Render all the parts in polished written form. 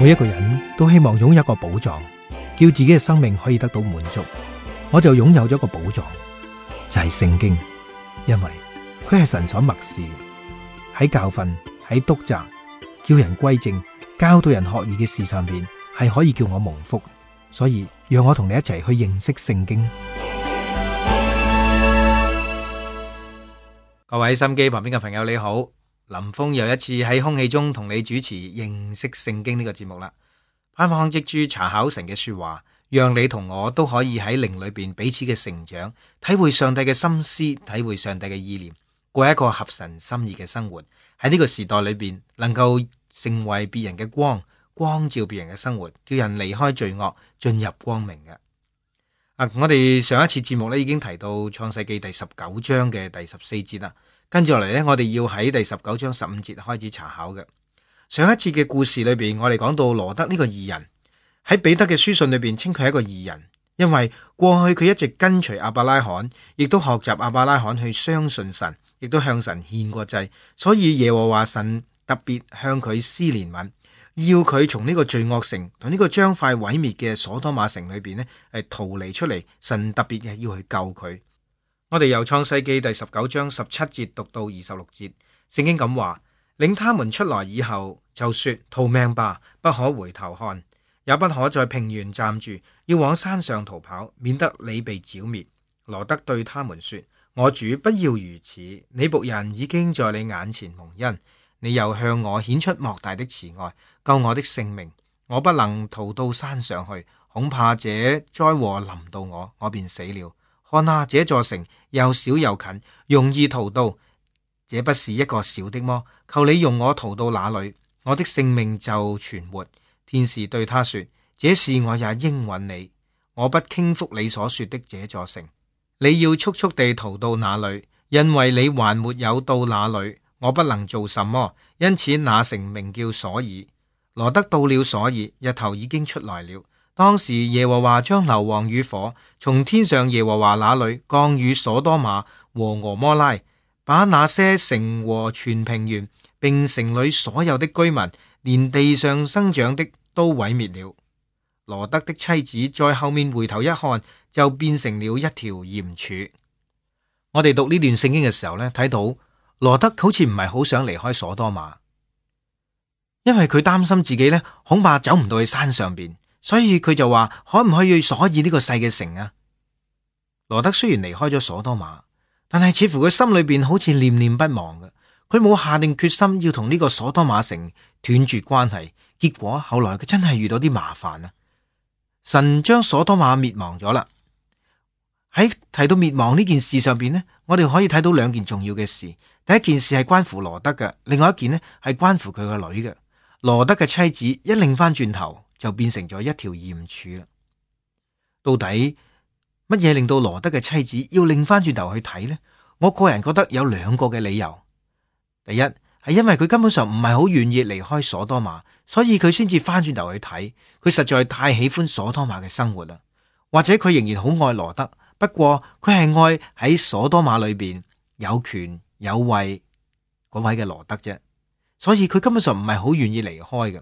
每一個人都希望擁有一個寶藏，叫自己嘅生命可以得到滿足。我就擁有咗一個寶藏，就係聖經，因為佢係神所默示嘅，喺教訓、喺督責、叫人歸正、教導人學義嘅事上邊，係可以叫我蒙福。所以讓我同你一齊去認識聖經。各位心機旁邊嘅朋友你好，林峰又一次喺空氣中同你主持認識聖經呢個節目啦。盼望藉住查考神嘅說話，讓你同我都可以喺靈裏邊彼此嘅成長，體會上帝嘅心思，體會上帝嘅意念，過一個合神心意嘅生活。喺呢個時代裏邊，能夠成為別人嘅光，光照別人嘅生活，叫人離開罪惡，進入光明嘅。我哋上一次節目咧已經提到創世記第19章嘅第14節啦，跟住落嚟咧，我哋要喺第19章15節開始查考嘅。上一次嘅故事裏邊，我哋講到羅德呢個義人喺彼得嘅書信裏邊稱佢係一個義人，因為過去佢一直跟隨亞伯拉罕，亦都學習亞伯拉罕去相信神，亦都向神獻過祭，所以耶和華神特別向佢施憐憫，要佢從呢個罪惡城同呢個將快毀滅嘅所多瑪城裏邊呢係逃離出嚟，神特別嘅要去救佢。我哋由創世記第19章17節讀到26節，聖經咁話：領他們出來以後，就說逃命吧，不可回頭看，也不可在平原站住，要往山上逃跑，免得你被剿滅。羅德對他們說：我主不要如此，你僕人已經在你眼前蒙恩，你又向我顯出莫大的慈愛，救我的性命。我不能逃到山上去，恐怕這災禍臨到我，我便死了。看啊，這座城又小又近，容易逃到，這不是一個小的麼？求你用我逃到哪裏，我的性命就存活。天使對他說：這事我也應允你，我不傾覆你所說的這座城。你要速速地逃到那裏，因為你還沒有到那裏，我不能做什麼。因此那城名叫瑣珥。羅德到了瑣珥，日頭已經出來了。當時耶和華將硫磺與火從天上耶和華那裏降與所多瑪和蛾摩拉，把那些城和全平原並城裏所有的居民，連地上生長的都毀滅了。羅德的妻子在後面回頭一看，就變成了一條鹽柱。我哋讀呢段聖經嘅時候呢，睇到羅德好似唔係好想離開所多瑪，因為佢擔心自己呢恐怕走唔到去山上邊。所以佢就話可唔可以去瑣珥呢個細嘅城啊？羅德雖然離開咗所多瑪，但係似乎佢心裏邊好似念念不忘嘅。佢冇下定決心要同呢個所多瑪城斷絕關係。結果後來佢真係遇到啲麻煩啊！神將所多瑪滅亡咗啦。喺提到滅亡呢件事上邊呢，我哋可以睇到兩件重要嘅事。第一件事係關乎羅德嘅，另外一件呢係關乎佢個女嘅。羅德嘅妻子一擰翻轉頭，就變成咗一條鹽柱啦。到底乜嘢令到羅德嘅妻子要擰翻轉頭去睇呢？我個人覺得有兩個嘅理由。第一係因為佢根本上唔係好願意離開所多瑪，所以佢先至翻轉頭去睇。佢實在太喜歡所多瑪嘅生活啦，或者佢仍然好愛羅德，不過佢係愛喺所多瑪裏邊有權有位嗰位嘅羅德啫，所以佢根本上唔係好願意離開嘅。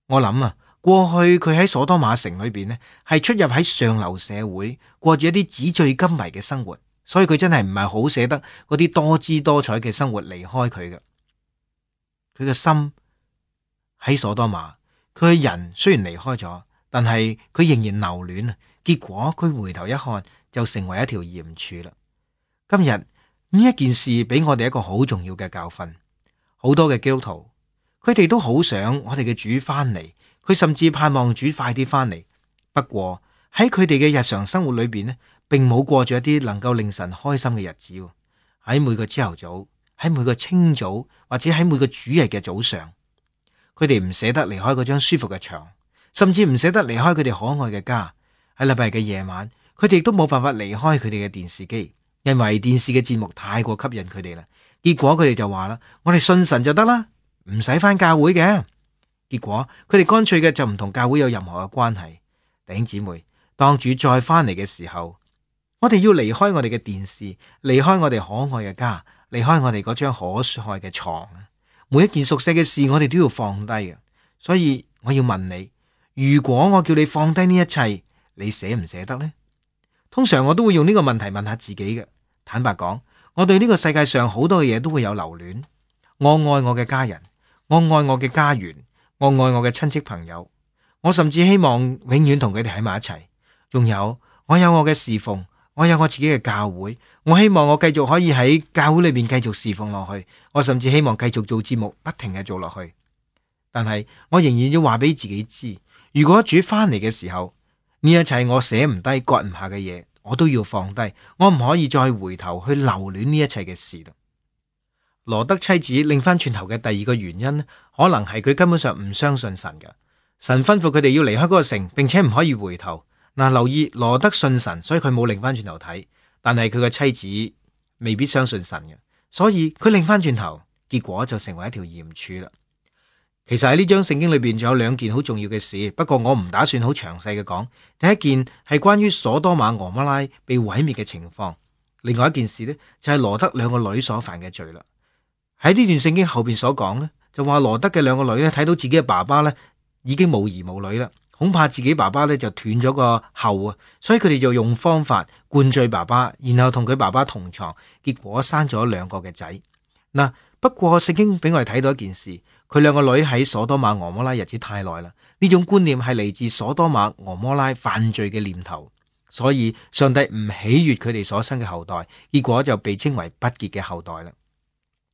我諗啊，過去佢喺所多瑪城裏邊呢，係出入喺上流社會，過住一啲紙醉金迷嘅生活，所以佢真係唔係好捨得嗰啲多姿多彩嘅生活離開佢嘅。佢嘅心喺所多瑪，佢嘅人雖然離開咗，但係佢仍然留戀啊。結果佢回頭一看，就成為一條鹽柱啦。今日呢一件事俾我哋一個好重要嘅教訓，好多嘅基督徒，佢哋都好想我哋嘅主翻嚟，佢甚至盼望主快啲翻嚟。不過喺佢哋嘅日常生活裏邊呢，並冇過住一啲能夠令神開心嘅日子。喺每個朝頭早，喺每個清早，或者喺每個主日嘅早上，佢哋唔捨得離開嗰張舒服嘅床，甚至唔捨得離開佢哋可愛嘅家。喺禮拜日嘅夜晚，佢哋都冇辦法離開佢哋嘅電視機，因為電視嘅節目太過吸引佢哋啦。結果佢哋就話啦：我哋信神就得啦，唔使翻教會嘅。結果佢哋乾脆嘅就唔同教會有任何嘅關係。弟兄姊妹，當主再翻嚟嘅時候，我哋要離開我哋嘅電視，離開我哋可愛嘅家，離開我哋嗰張可愛嘅床。每一件熟悉嘅事，我哋都要放低嘅。所以我要問你，如果我叫你放低呢一切，你捨唔捨得呢？通常我都會用呢個問題問下自己嘅。坦白講，我對呢個世界上好多嘅嘢都會有留戀。我愛我嘅家人，我愛我嘅家園，我愛我嘅親戚朋友，我甚至希望永遠同佢哋喺埋一齊。仲有，我有我嘅侍奉，我有我自己嘅教會，我希望我繼續可以喺教會裏邊繼續侍奉落去。我甚至希望繼續做節目，不停嘅做落去。但係我仍然要話俾自己知，如果主翻嚟嘅時候，呢一切我捨唔低、割唔下嘅嘢，我都要放低。我唔可以再回頭去留戀呢一切嘅事啦。羅德妻子擰翻轉頭嘅第二個原因，可能係佢根本上唔相信神嘅。神吩咐佢哋要離開嗰個城，並且唔可以回頭。嗱，留意羅德信神，所以佢冇擰翻轉頭睇。但係佢嘅妻子未必相信神嘅，所以佢擰翻轉頭，結果就成為一條鹽柱啦。其實喺呢章聖經裏邊仲有兩件好重要嘅事，不過我唔打算好詳細嘅講。第一件係關於所多瑪俄摩拉被毀滅嘅情況，另外一件事呢，就係羅德兩個女所犯嘅罪啦。喺呢段聖經後邊所講呢，就話羅德嘅兩個女呢，睇到自己嘅爸爸呢已經冇兒冇女啦，恐怕自己爸爸呢就斷咗個後啊，所以佢哋就用方法灌醉爸爸，然後同佢爸爸同床，結果生咗兩個嘅仔。嗱，不過聖經俾我哋睇到一件事，佢兩個女喺所多瑪俄摩拉日子太耐啦，呢種觀念係嚟自所多瑪俄摩拉犯罪嘅念頭，所以上帝唔喜悅佢哋所生嘅後代，結果就被稱為不潔嘅後代啦。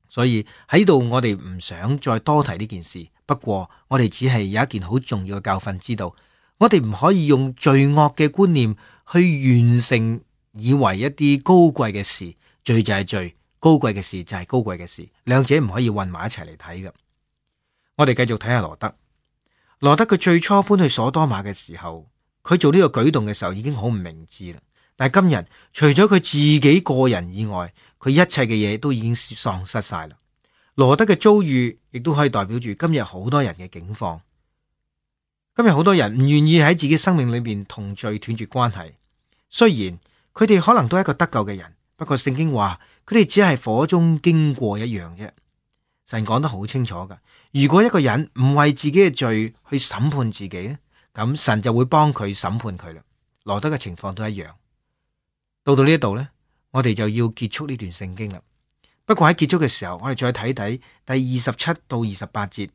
所以喺度我哋唔想再多提呢件事，不過我哋只係有一件好重要嘅教訓，知道我哋唔可以用罪惡嘅觀念去完成以為一啲高貴嘅事，罪就係罪，高貴嘅事就係高貴嘅事，兩者唔可以混埋一齊嚟睇嘅。我哋繼續睇下羅德。羅德佢最初搬去所多瑪嘅時候，佢做呢個舉動嘅時候已經好唔明智啦。但係今日除咗佢自己個人以外，佢一切嘅嘢都已經喪失晒啦。羅德嘅遭遇亦都可以代表住今日好多人嘅境況。今日好多人唔願意喺自己生命裏面同罪斷絕關係，雖然佢哋可能都係一個得救嘅人，不過聖經話佢哋只係火中經過一樣啫。神講得好清楚噶，如果一個人唔為自己嘅罪去審判自己咧，咁神就會幫佢審判佢啦。羅德嘅情況都一樣。到呢一度呢，我哋就要結束呢段聖經啦。不過喺結束嘅時候，我哋再睇睇第27到28節，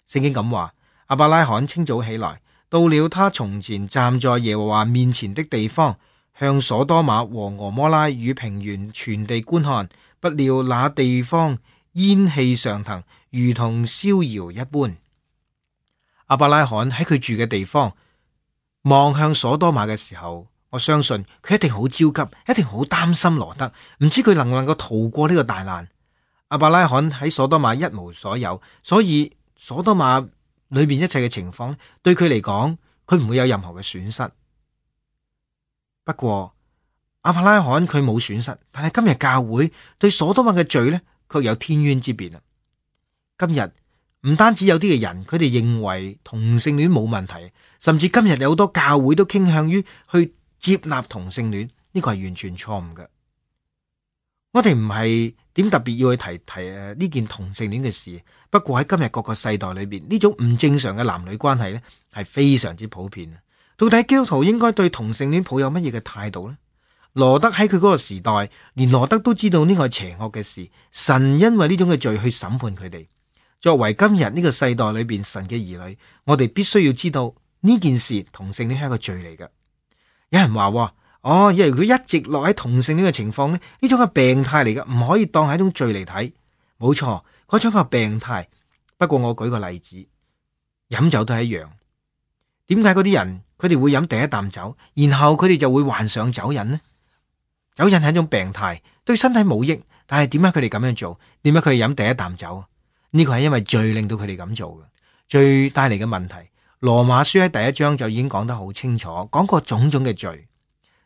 聖經咁話：亞伯拉罕清早起來，到了他從前站在耶和華面前的地方，向所多瑪和俄摩拉與平原全地觀看，不料那地方煙氣上騰，如同燒窯一般。亞伯拉罕喺佢住嘅地方望向所多瑪嘅時候，我相信佢一定好焦急，一定好擔心羅德，唔知佢能唔能夠逃過呢個大難。亞伯拉罕喺所多瑪一無所有，所以所多瑪裏面一切嘅情況對佢嚟講，佢唔會有任何嘅損失。不過亞伯拉罕佢冇損失，但係今日教會對所多瑪嘅罪呢，卻有天淵之別啊！今日唔單止有啲嘅人，佢哋認為同性戀冇問題，甚至今日有好多教會都傾向於去接納同性戀，呢個係完全錯誤嘅。我哋唔係點特別要去提呢件同性戀嘅事，不過喺今日各個世代裏邊，呢種唔正常嘅男女關係呢，係非常之普遍。到底基督徒應該對同性戀抱有乜嘢嘅態度呢？羅德喺佢嗰個時代，連羅德都知道呢個係邪惡嘅事，神因為呢種嘅罪去審判佢哋。作為今日呢個世代裏邊神嘅兒女，我哋必須要知道呢件事，同性戀係一個罪嚟嘅。有人話因為佢一直落喺同性戀嘅情況呢種係病態嚟嘅，唔可以當係一種罪嚟睇。冇錯，嗰種係病態。不過我舉個例子，飲酒都係一樣。點解嗰啲人佢哋會飲第一啖酒，然後佢哋就會患上酒癮呢？酒癮係一種病態，對身體冇益。但係點解佢哋咁樣做？點解佢哋飲第一啖酒？呢個係因為罪令到佢哋咁做嘅，罪帶嚟嘅問題。羅馬書喺第1章就已經講得好清楚，講過種種嘅罪。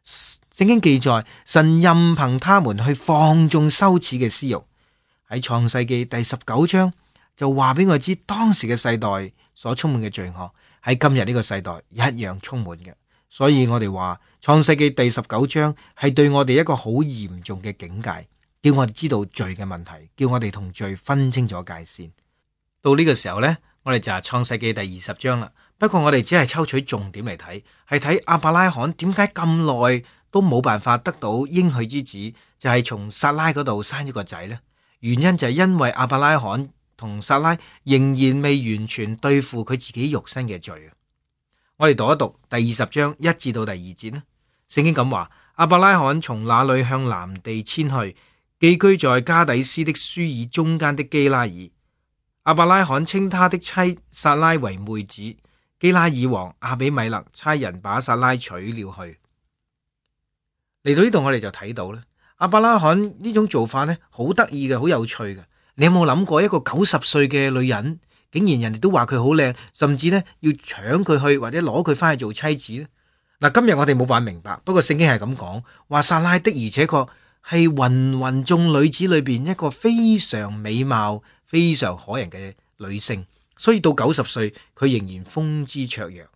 聖經記載，神任憑他們去放縱羞恥嘅私欲。喺創世記第19章就話俾我知，當時嘅世代所充滿嘅罪惡喺今日呢個世代一樣充滿嘅。所以我哋話創世記第19章係對我哋一個好嚴重嘅警戒，叫我哋知道罪嘅問題，叫我哋同罪分清楚界線。到呢個時候呢，我哋就係創世記第20章啦。不過我哋只係抽取重點嚟睇，係睇亞伯拉罕點解咁耐都冇辦法得到應許之子，就係從撒拉嗰度生咗個仔呢？原因就係因為亞伯拉罕同撒拉仍然未完全對付佢自己肉身嘅罪。我哋讀一讀第20章1至到第2節呢。聖經咁話：亞伯拉罕從那裏向南地遷去，寄居在加底斯的舒爾中間的基拉爾。亞伯拉罕稱他的妻撒拉為妹子。基拉爾王亞比米勒差人把撒拉娶了去。嚟到呢度我哋就睇到咧，亞伯拉罕呢種做法呢，好得意嘅，好有趣嘅。你有冇諗過一個90歲嘅女人，竟然人哋都話佢好靚，甚至呢要搶佢去或者攞佢翻去做妻子呢？嗱，今日我哋冇辦法明白，不過聖經係咁講，話撒拉的而且確係芸芸眾女子裏邊一個非常美貌、非常可人嘅女性，所以到90歲佢仍然風姿綽約。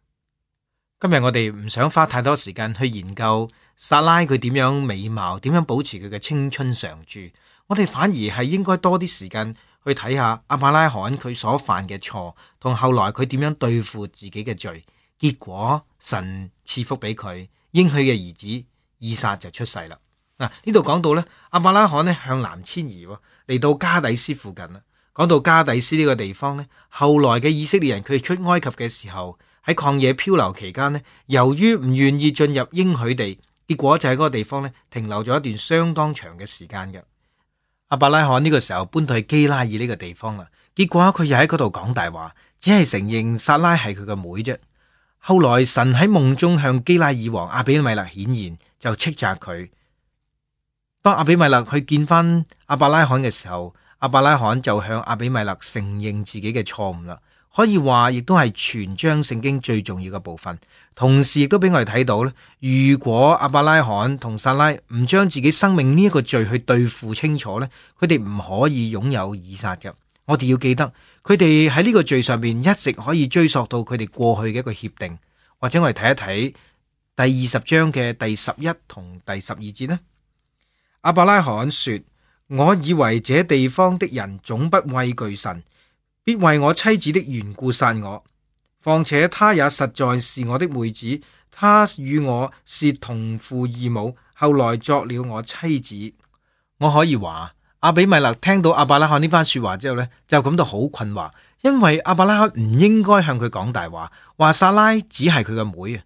今日我哋唔想花太多時間去研究撒拉佢點樣美貌，點樣保持佢嘅青春常駐，我哋反而係應該多啲時間去睇下亞伯拉罕佢所犯嘅錯，同後來佢點樣對付自己嘅罪。結果神賜福俾佢，應許嘅兒子以撒就出世啦。嗱，呢度講到咧，亞伯拉罕咧向南遷移，嚟到加底斯附近啦。講到加底斯呢個地方咧，後來嘅以色列人佢哋出埃及嘅時候，喺曠野漂流期間咧，由於唔願意進入應許地，結果就喺嗰個地方咧停留咗一段相當長嘅時間嘅。亞伯拉罕呢個時候搬到去基拉爾呢個地方啦，結果佢又喺嗰度講大話，只係承認撒拉係佢個妹啫。後來神喺夢中向基拉爾王亞比米勒顯現，就斥責佢。當亞比米勒去見翻亞伯拉罕嘅時候，亞伯拉罕就向亞比米勒承認自己嘅錯誤啦。可以話亦都係全章聖經最重要嘅部分。同時亦都俾我哋睇到咧，如果亞伯拉罕同撒拉唔將自己生命呢一個罪去對付清楚咧，佢哋唔可以擁有以撒嘅。我哋要記得，佢哋喺呢個罪上面一直可以追溯到佢哋過去嘅一個協定，或者我哋睇一睇第20章嘅第11同第12節呢。亞伯拉罕說：我以為這地方的人總不畏懼神，必為我妻子的緣故殺我。況且她也實在是我的妹子，她與我是同父異母，後來作了我妻子。我可以話，亞比米勒聽到亞伯拉罕呢番說話之後呢，就感到好困惑，因為亞伯拉罕唔應該向佢講大話，話撒拉只係佢嘅妹啊。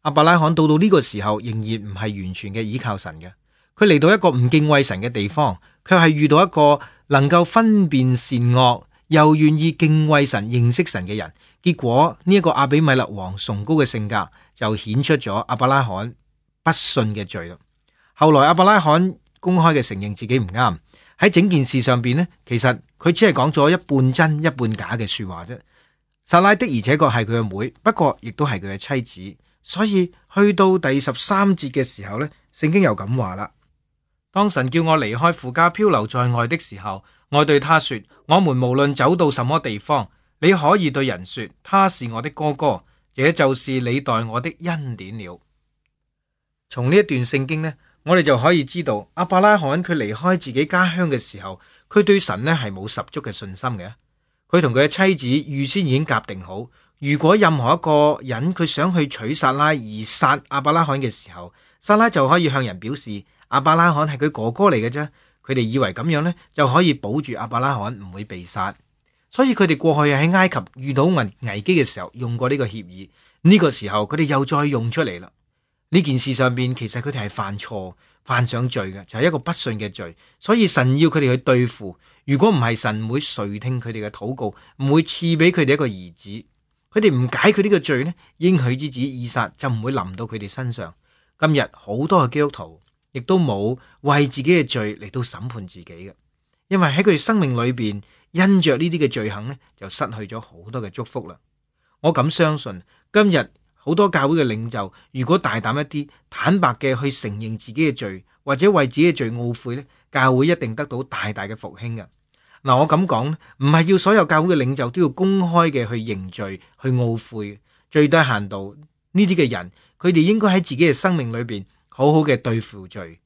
亞伯拉罕到呢個時候仍然唔係完全嘅依靠神嘅，佢嚟到一個唔敬畏神嘅地方，卻係遇到一個能夠分辨善惡又願意敬畏神、認識神嘅人。結果呢一個亞比米勒王崇高嘅性格就顯出咗亞伯拉罕不信嘅罪啦。後來亞伯拉罕公開嘅承認自己唔啱。喺整件事上邊呢，其實佢只係講咗一半真一半假嘅說話啫。撒拉的而且確係佢嘅妹，不過亦都係佢嘅妻子。所以去到第13節嘅時候呢，聖經又咁話啦：當神叫我離開父家漂流在外的時候，我對他說：我們無論走到什麼地方，你可以對人說他是我的哥哥，這就是你待我的恩典了。從呢一段聖經呢，我哋就可以知道亞伯拉罕佢離開自己家鄉嘅時候，佢對神呢係冇十足嘅信心嘅。佢同佢嘅妻子預先已經夾定好，如果任何一個人佢想去娶撒拉而殺亞伯拉罕嘅時候，撒拉就可以向人表示亞伯拉罕係佢哥哥嚟嘅啫。佢哋以為咁樣呢就可以保住亞伯拉罕唔會被殺，所以佢哋過去喺埃及遇到危機嘅時候用過呢個協議。呢個時候佢哋又再用出嚟啦。呢件事上邊其實佢哋係犯錯犯上罪嘅，就係一個不信嘅罪，所以神要佢哋去對付。如果唔係，神唔會垂聽佢哋嘅禱告，唔會賜俾佢哋一個兒子。佢哋唔解決呢個罪呢，應許之子以撒就唔會臨到佢哋身上。今日好多嘅基督徒亦都冇為自己嘅罪嚟到審判自己嘅，因為喺佢哋生命裏邊因着呢啲嘅罪行呢，就失去咗好多嘅祝福啦。我咁相信今日好多教會嘅領袖，如果大膽一啲，坦白嘅去承認自己嘅罪，或者為自己嘅罪懊悔呢，教會一定得到大大嘅復興嘅。嗱，我咁講唔係要所有教會嘅領袖都要公開嘅去認罪、去懊悔，最低限度呢啲嘅人，佢哋應該喺自己嘅生命裏邊好好嘅對付罪，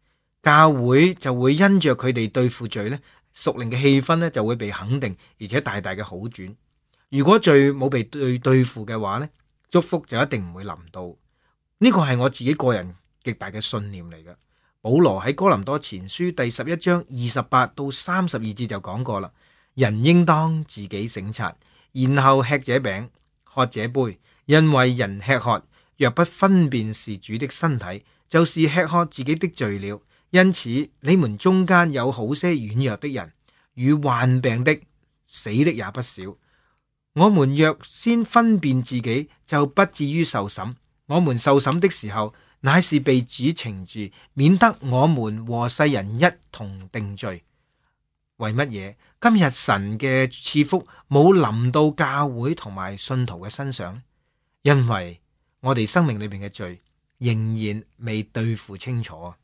教會就會因着佢哋對付罪呢，屬靈嘅氣氛呢就會被肯定，而且大大嘅好轉。如果罪冇被對付嘅話呢，祝福就一定唔會臨到。呢個係我自己個人極大嘅信念嚟嘅。保羅喺哥林多前書第11章28到32節就講過啦，人應當自己省察，然後吃這餅，喝這杯，因為人吃喝若不分辨是主的身體，就是吃喝自己的罪了。因此你們中間有好些軟弱的人，與患病的、死的也不少。我們若先分辨自己，就不至於受審。我們受審的時候，乃是被主懲治，免得我們和世人一同定罪。為乜嘢今日神嘅賜福冇臨到教會同埋信徒嘅身上？因為我哋生命裏邊嘅罪仍然未對付清楚，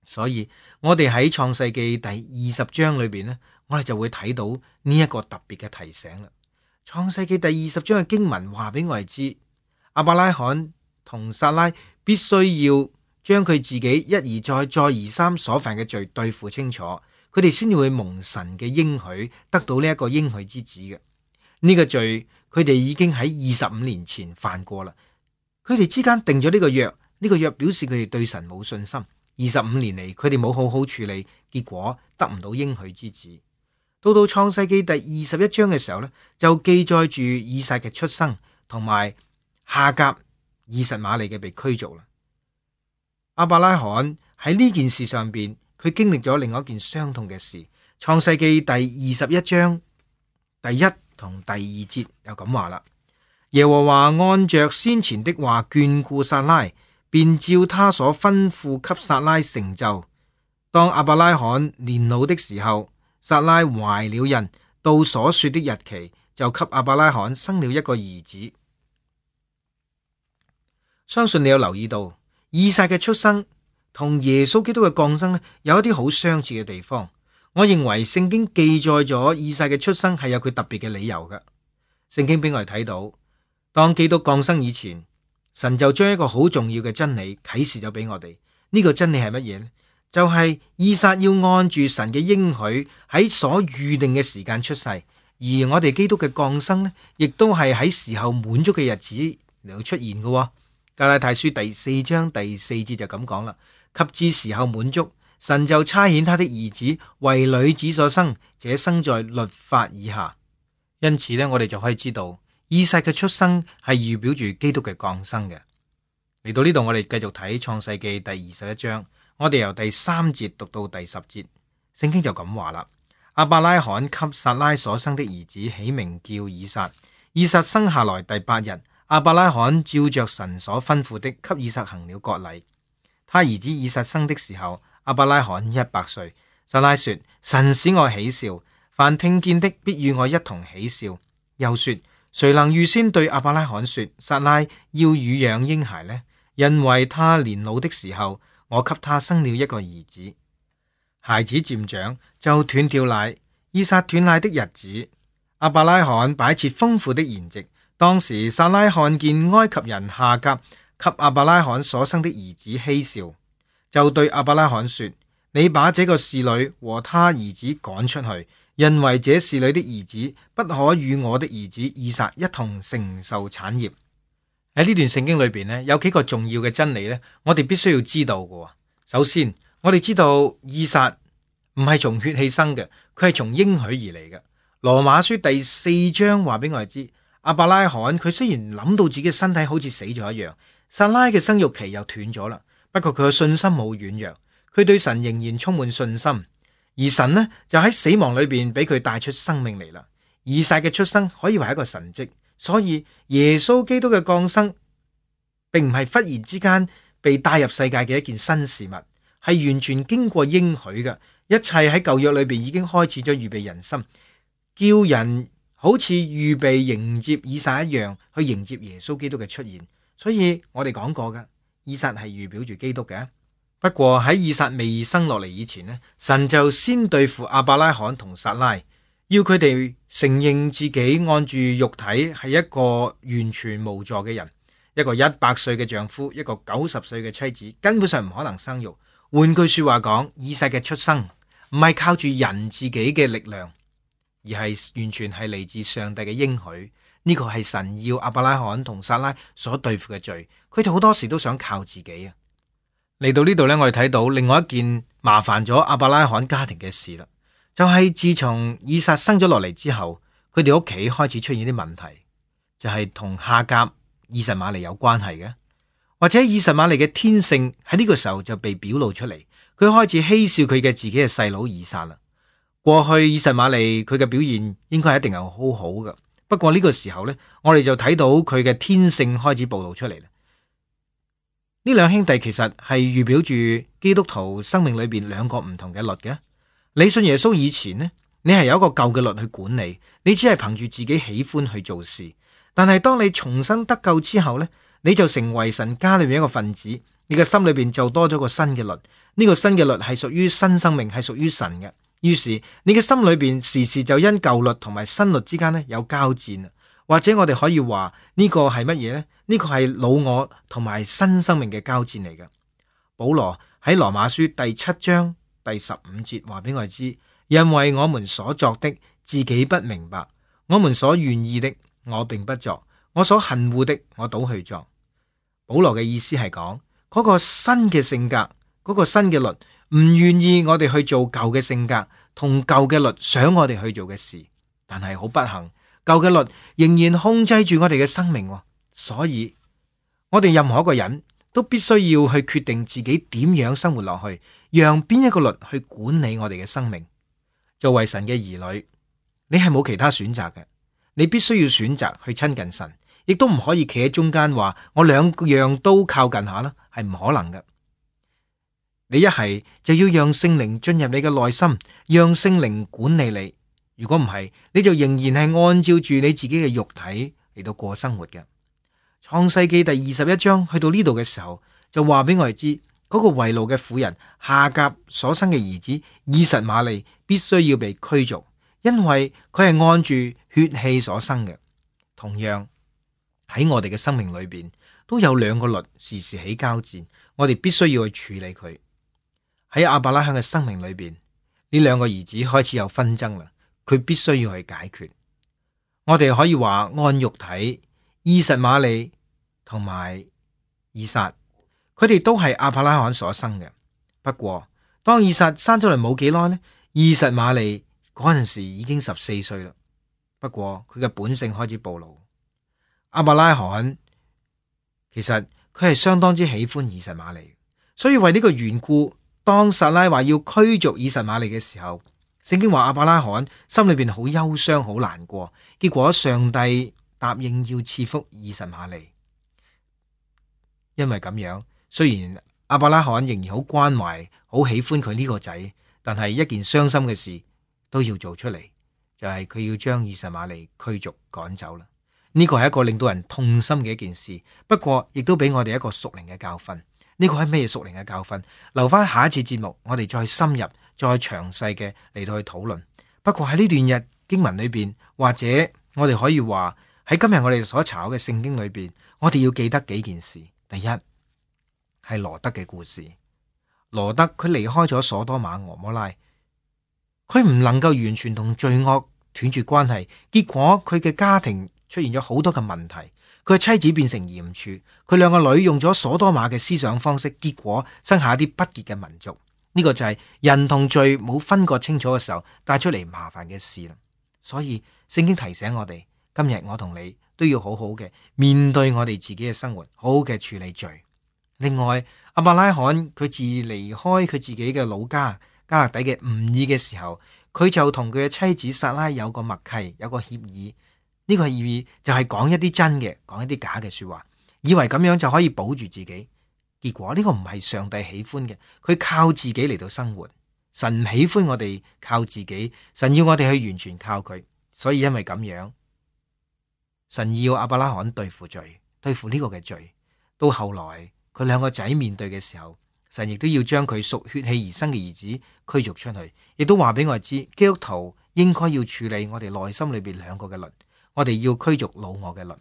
所以我哋喺創世記第20章裏邊呢，我哋就會睇到呢一個特別嘅提醒啦。創世記第20章嘅經文話俾我哋知，亞伯拉罕同撒拉必須要將佢自己一而再再而三所犯嘅罪對付清楚，佢哋先至會蒙神嘅應許，得到呢一個應許之子嘅。呢個罪佢哋已經喺25年前犯過啦，佢哋之間定咗呢個約，呢個約表示佢哋對神冇信心。25年嚟佢哋冇好好處理，結果得唔到應許之子。到創世記第21章嘅時候呢，就記載住以撒嘅出生同埋夏甲以實瑪利嘅被驅逐啦。亞伯拉罕喺呢件事上邊，佢經歷咗另外一件傷痛嘅事。創世記第21章第1同第2節又咁話啦：耶和華按着先前的話眷顧撒拉，便照他所吩咐給撒拉成就。當亞伯拉罕年老的時候，撒拉懷了孕，到所說的日期，就給亞伯拉罕生了一個兒子。相信你有留意到，以撒嘅出生同耶穌基督嘅降生有一啲好相似嘅地方。我認為聖經記載咗以撒嘅出生係有佢特別嘅理由嘅。聖經俾我哋睇到，當基督降生以前，神就將一個好重要嘅真理啟示咗俾我哋。呢個真理係乜嘢呢？就係以撒要按住神嘅應許喺所預定嘅時間出世，而我哋基督嘅降生呢，亦都係喺時候滿足嘅日子嚟到出現嘅。加拉太書第4章第4節就咁講啦，及至時候滿足，神就差遣他的兒子為女子所生，這生在律法以下。因此呢，我哋就可以知道以撒嘅出生係預表住基督嘅降生嘅。嚟到呢度，我哋繼續睇創世記第21章，我哋由第3節讀到第10節，聖經就咁話啦：亞伯拉罕給撒拉所生的兒子起名叫以撒。以撒生下來第8日，亞伯拉罕照着神所吩咐的，給以撒行了割禮。他兒子以撒生的時候，亞伯拉罕100歲。撒拉說：神使我喜笑，凡聽見的必與我一同喜笑。又說：誰能預先對亞伯拉罕說，撒拉要乳養嬰孩呢？因為他年老的時候，我給他生了一個兒子。孩子漸長，就斷掉奶。以撒斷奶的日子，亞伯拉罕擺設豐富的筵席。當時撒拉看見埃及人夏甲給亞伯拉罕所生的兒子嬉笑，就對亞伯拉罕說：你把這個侍女和他兒子趕出去，因為這侍女的兒子不可與我的兒子以撒一同承受產業。喺呢段聖經裏邊呢，有幾個重要嘅真理呢，我哋必須要知道嘅。首先，我哋知道以撒唔係從血氣生嘅，佢係從應許而嚟嘅。羅馬書第4章話俾我哋知，亞伯拉罕佢雖然諗到自己嘅身體好似死咗一樣，撒拉嘅生育期又斷咗啦，不過佢嘅信心冇軟弱，佢對神仍然充滿信心，而神呢就喺死亡裏邊俾佢帶出生命嚟啦。以撒嘅出生可以話係一個神蹟，所以耶穌基督嘅降生並唔係忽然之間被帶入世界嘅一件新事物，係完全經過應許嘅，一切喺舊約裏邊已經開始咗預備人心，叫人好似預備迎接以撒一樣去迎接耶穌基督嘅出現。所以我哋講過嘅，以撒係預表住基督嘅。不過喺以撒未生落嚟以前呢，神就先對付亞伯拉罕同撒拉，要佢哋承認自己按住肉體係一個完全無助嘅人，一個100歲嘅丈夫，一個90歲嘅妻子，根本上唔可能生育。換句說話講，以撒嘅出生唔係靠住人自己嘅力量，而而係完全係嚟自上帝嘅應許。呢個係神要亞伯拉罕同撒拉所對付嘅罪，佢哋好多時都想靠自己啊。嚟到呢度呢，我哋睇到另外一件麻煩咗亞伯拉罕家庭嘅事啦，就係自從以撒生咗落嚟之後，佢哋屋企開始出現啲問題，就係同夏甲、以實瑪利有關係嘅，或者以實瑪利嘅天性喺呢個時候就被表露出嚟，佢開始嬉笑佢嘅自己嘅細佬以撒啦。過去以實瑪利佢嘅表現應該係一定係好好嘅。不過呢個時候呢，我哋就睇到佢嘅天性開始暴露出嚟啦。呢兩兄弟其實係預表住基督徒生命裏邊兩個唔同嘅律嘅。你信耶穌以前呢，你係有一個舊嘅律去管理，你只係憑住自己喜歡去做事。但係當你重生得救之後呢，你就成為神家裏面一個分子，你嘅心裏邊就多咗個新嘅律。呢個新嘅律係屬於新生命，係屬於神嘅。於是你嘅心裏邊時時就因舊律同埋新律之間呢有交戰，或者我哋可以話呢個係乜嘢呢？呢個係老我同埋新生命嘅交戰嚟嘅。保羅喺羅馬書第7章第15節話俾我哋知，因為我們所作的自己不明白，我們所願意的我並不作，我所恨惡的我倒去作。保羅嘅意思係講嗰個新嘅性格，嗰個新嘅律唔願意我哋去做舊嘅性格同舊嘅律想我哋去做嘅事，但係好不幸，舊嘅律仍然控制住我哋嘅生命，所以我哋任何一個人都必須要去決定自己點樣生活落去，讓邊一個律去管理我哋嘅生命。作為神嘅兒女，你係冇其他選擇嘅，你必須要選擇去親近神，亦都唔可以企喺中間話我兩樣都靠近下啦，係唔可能嘅。你一係就要讓聖靈進入你嘅內心，讓聖靈管理你。如果唔係，你就仍然係按照住你自己嘅肉體嚟到過生活嘅。創世記第21章去到呢度嘅時候，就話俾我哋知，嗰個為奴嘅婦人夏甲所生嘅兒子以實瑪利必須要被驅逐，因為佢係按住血氣所生嘅。同樣喺我哋嘅生命裏邊，都有兩個律時時起交戰，我哋必須要去處理佢。喺亞伯拉罕嘅生命裏邊，呢兩個兒子開始有紛爭啦，佢必須要去解決。我哋可以話按肉體，以實瑪利同埋以撒，佢哋都係亞伯拉罕所生嘅。不過當以撒生咗嚟冇幾耐呢，以實瑪利嗰陣時已經14歲啦。不過佢嘅本性開始暴露。亞伯拉罕其實佢係相當之喜歡以實瑪利，所以為呢個緣故，當撒拉話要驅逐以實瑪利嘅時候，聖經話亞伯拉罕心裏邊好憂傷，好難過。結果上帝答應要賜福以實瑪利。因為咁樣，雖然亞伯拉罕仍然好關懷、好喜歡佢呢個仔，但係一件傷心嘅事都要做出嚟，就係佢要將以實瑪利驅逐趕走啦。呢個係一個令到人痛心嘅一件事，不過亦都俾我哋一個屬靈嘅教訓。呢個係咩屬靈嘅教訓？留翻下一次節目，我哋再深入、再詳細嘅嚟到去討論。不過喺呢段日經文裏邊，或者我哋可以話喺今日我哋所查嘅聖經裏邊，我哋要記得幾件事。第一係羅德嘅故事。羅德佢離開咗所多瑪俄摩拉，佢唔能夠完全同罪惡斷絕關係，結果佢嘅家庭出現咗好多嘅問題。佢嘅妻子變成鹽柱，佢兩個女用咗所多瑪嘅思想方式，結果生下一啲不潔嘅民族。呢個就係人同罪冇分割清楚嘅時候帶出嚟麻煩嘅事啦。所以聖經提醒我哋，今日我同你都要好好嘅面對我哋自己嘅生活，好好嘅處理罪。另外，亞伯拉罕佢自離開佢自己嘅老家加勒底嘅吾珥嘅時候，佢就同佢嘅妻子撒拉有個默契，有個協議。呢個協議就係講一啲真嘅，講一啲假嘅說話，以為咁樣就可以保住自己。結果呢個唔係上帝喜歡嘅，佢靠自己嚟到生活。神唔喜歡我哋靠自己，神要我哋去完全靠佢。所以因為咁樣，神要亞伯拉罕對付罪，對付呢個嘅罪。到後來佢兩個仔面對嘅時候，神亦都要將佢屬血氣而生嘅兒子驅逐出去，亦都話俾我哋知，基督徒應該要處理我哋內心裏邊兩個嘅律。我哋要驅逐老我嘅律，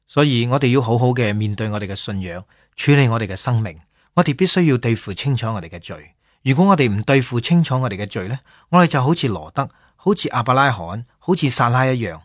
所以我哋要好好嘅面對我哋嘅信仰，處理我哋嘅生命。我哋必須要對付清楚我哋嘅罪。如果我哋唔對付清楚我哋嘅罪呢，我哋就好似羅德，好似亞伯拉罕、好似撒拉一樣，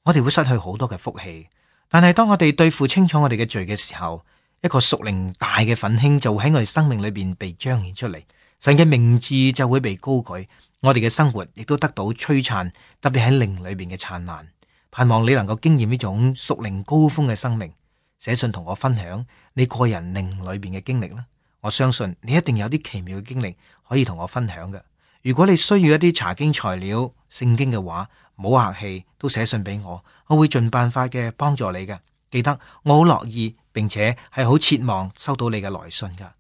我哋會失去好多嘅福氣。但係當我哋對付清楚我哋嘅罪嘅時候，一個屬靈大嘅奮興就會喺我哋生命裏邊被彰顯出嚟，神嘅名字就會被高舉，我哋嘅生活亦都得到璀璨，特別喺靈裏邊嘅燦爛。盼望你能夠經驗呢種屬靈高峰嘅生命，寫信同我分享你個人靈裏邊嘅經歷啦。我相信你一定有啲奇妙嘅經歷可以同我分享嘅。如果你需要一啲查經材料、聖經嘅話，唔好客氣，都寫信俾我，我會盡辦法嘅幫助你嘅。記得我好樂意，並且係好切望收到你嘅來信噶。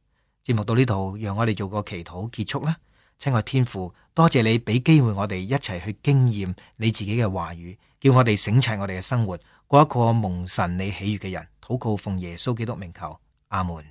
節目到呢度，讓我哋做個祈禱結束啦。親愛天父，多謝你俾機會我哋一齊去經驗你自己嘅話語，叫我哋省察我哋嘅生活，過一個蒙神你喜悅嘅人。禱告奉耶穌基督名求，阿門。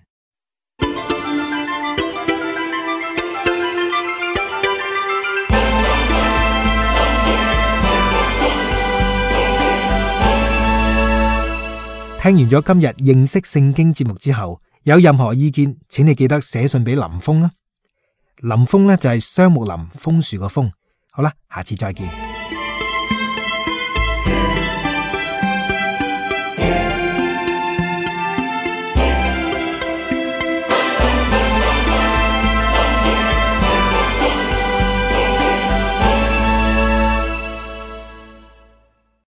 聽完咗今日認識聖經節目之後，有任何意見，請你記得寫信俾林峰啊。林峰呢就係雙木林楓樹個楓。好啦，下次再見。